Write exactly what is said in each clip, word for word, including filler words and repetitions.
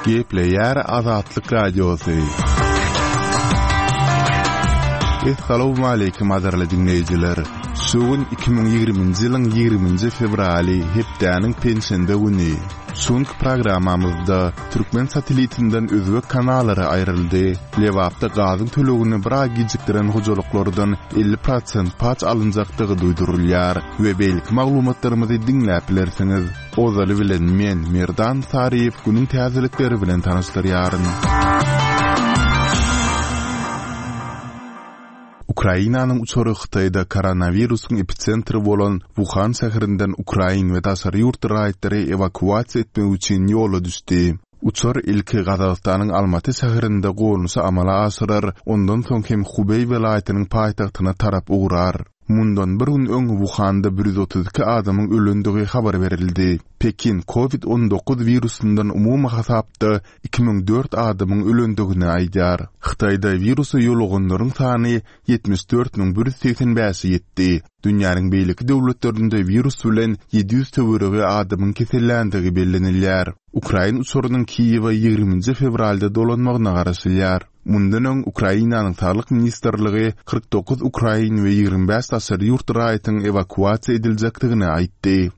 Gepleýär Azatlyk Radiosy. Essalawmaleýkim gadyrly diňleýjiler! Şu gün iki müň ýigriminji ýylyň ýigriminji fewraly, hepdäniň penşenbe güni. Şu günki programmamyzda türkmen satelitinden özbek kanallary aýryldy, Lebapda gazyň tölegini bir aý gijikdiren hojalyklardan elli prosent paç alynjakdygy duýdurylýar we beýleki maglumatlarymyzy diňläp bilersiňiz. Ozaly bilen men, Merdan Saryýew günüň täzelikleri bilen tanyşdyrýaryn. Ukrainanyň uçary Hytaýda koronawirusyň episentri bolan Wuhan şäherinden ukrain we daşary ýurt raýatlary ewakuasiýa etmek üçin ýola düşdi. Uçar ilki Gazagystanyň Almaty şäherinde gonuşy amala aşyrar, ondan soň hem Hubeý welaýatynyň paýtagtyna tarap ugrar. Mundan bir gün öň Wuhanda bir ýüz otuz iki adamyň ölendigi habar berildi. Pekin Covid on dokuz wirusyndan umumy hasapda iki müň dört adamyň ölendigini aýdýar. Hytaýda wirusa ýoluganlaryň sany ýetmiş dört müň bir ýüz segsen bäşe ýetdi. Dünýäniň beýleki döwletlerinde wirus bilen ýedi ýüz töweregi adamyň keselländigi bellenilýär. Ukrain uçarynyň Kiýewe ýigriminji fewralda dolanmagyna garaşylýar. Mundan öň Ukrainanyň Saglyk ministrligi kyrk dokuz ukrain we ýigrimi bäş daşary ýurt raýatyň ewakuasiýa ediljekdigini aýtdy.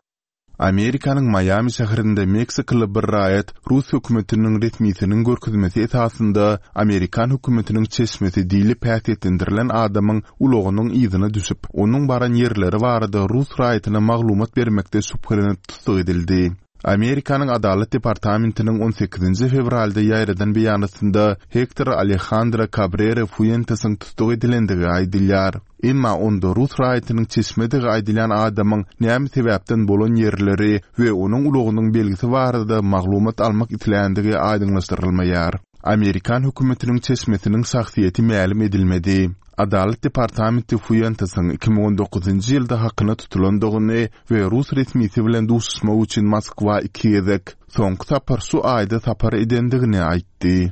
Amerikanyň Maýami şäherinde Meksikaly bir raýat rus hökümetiniň resmisiniň görkezmesi esasynda Amerikan hökümetiniň çeşmesi diýlip häsiýetlendirilen adamyň ulagynyň yzyna düşüp, onuň baran ýerleri barada rus raýatyna maglumat bermekde şübhelenip tussag edildi. Amerikanyň Adalat departamentiniň on sekizinji fewralda ýaýradan beýanatynda Hektor Alejandro Cabrera Fuentesiň tussag edilendigi aýdylýar. Emma onda rus raýatynyň çeşmedigi aýdylýan adamyň näme sebäpden bolan ýerleri we onuň ulagynyň belgisi barada maglumat almak isländigi aýdyňlaşdyrylmaýar. Amerikan hökümetiniň çeşmesiniň şahsyýeti mälim edilmedi. Adalat departamenti Fuentesiň iki müň on dokuzynjy ýylda hakyna tutulandygyny we rus resmisi bilen duşuşmak üçin Moskwa iki gezek, soňky sapar şu aýda sapar edendigini aýtdy.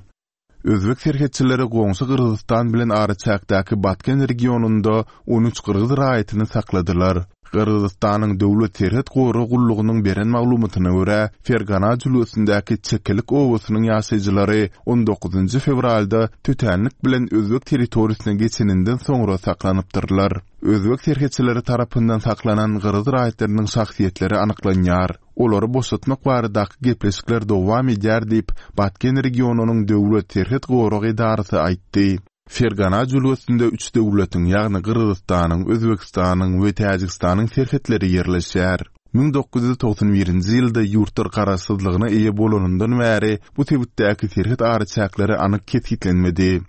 Özbek serhetçileri goňşy Gyrgyzystan bilen araçäkdäki Batken regionynda on üç gyrgyz raýatyny sakladylar. Gyrgyzystanyň Döwlet serhet gorag gullugynyň beren maglumatyna görä, Fergana jülgesindäki Çekelik obasynyň ýaşaýjylary on dokuzynjy fewralda tötänlik bilen özbek territoriýasyna geçeninden soňra saklanypdyrlar. Özbek serhetçileri tarapyndan saklanan gyrgyz raýatlarynyň şahsyýetleri anyklanýar. Olary boşatmak baradaky gepleşikler dowam edýär diýip, Batken regionynyň Döwlet serhet gorag edarasy aýtdy. Fergana jülgesinde üç döwletiň, ýagny Gyrgyzystanyň, Özbegistanyň we Täjigistanyň serhetleri ýerleşýär. Müň dokuz ýüz togsan birinji ýylda ýurtlar garaşsyzlygyna eýe bolanyndan bäri bu sebitdäki serhet araçäkleri anyk kesgitlenmedi.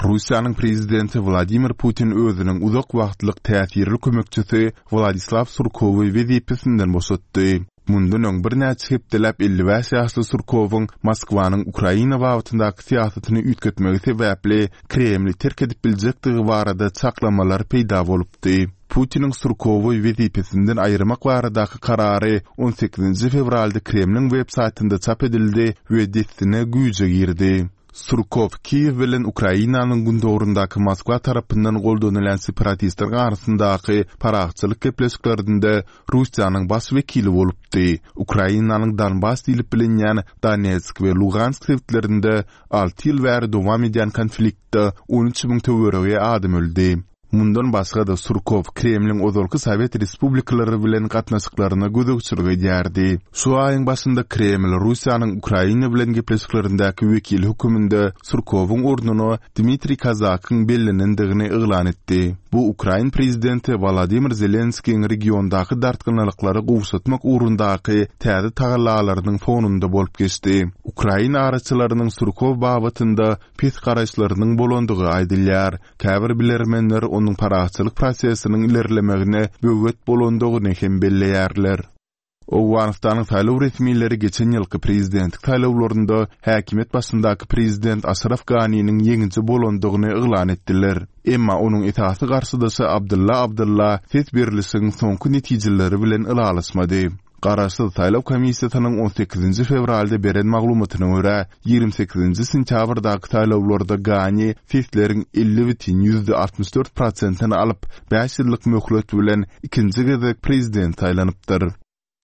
Russiýanyň prezidenti Wladimir Putin özüniň uzak wagtlyk täsirli kömekçisi Wladislaw Surkowy wezipesinden boşatdy. Mundan öň birnäçe hepdeläp elli bäş ýaşly Surkowyň Moskwanyň Ukraina babatyndaky syýasatyny üýtgetmegi sebäpli Kremli terk edip biljekdigi barada çaklamalar peýda bolupdy. Putiniň Surkowy wezipesinden aýyrmak baradaky karary on sekizinji fewralda Kremliň web saýtynda çap edildi we dessine güýje girdi. Surkow Kiýew bilen Ukrainanyň gündogaryndaky Moskwa tarapyndan goldanylýan separatistleriň arasyndaky parahatçylyk gepleşiklerinde Russiýanyň baş wekili bolupdy. Ukrainanyň Donbas diýlip bilinýän Donetsk we Lugansk sebitlerinde alty ýyl bäri dowam edýän konfliktde on üç müň töweregi adam öldi. Mundan başga-da Surkow Kremliň ozalky Sowet respublikalary bilen gatnaşyklaryna gözegçilik edýärdi. Şu aýyň başynda Kreml Russiýanyň Ukraina bilen gepleşiklerindäki wekili höküminde Surkowyň ornuna Dmitriý Kazakyň bellenendigini yglan etdi. Bu Ukrain prezidenti Wolodymyr Zelenskiň regiondaky dartgynlyklary gowşatmak ugrundaky täze tagallalarynyň fonunda bolup geçdi. Ukrain araçylarynyň Surkow babatynda pes garaýyşlarynyň bolandygy aýdylýar. Käbir bilermenler onuň parahatçylyk prosesiniň ilerlemegine böwet bolandygyny hem belleýärler. Owganystanyň saýlaw resmileri geçen ýylky prezidentlik saýlawlarynda häkimiýet başyndaky prezident Aşraf Ganiniň ýeňiji bolandygyny yglan etdiler. Emma onuň esasy garşydaşy Abdylla Abdylla ses berlişigiň soňky netijeleri bilen ylalaşmady. Garaşsyz saýlaw komissiýasynyň on sekizinji fewralda beren maglumatyna görä, ýigrimi sekizinji sentýabrdaky saýlawlarda Gani sesleriň elli bütin ýüzde altmyş dört prosentini alyp, bäş ýyllyk möhlet bilen ikinji gezek prezident saýlanypdyr.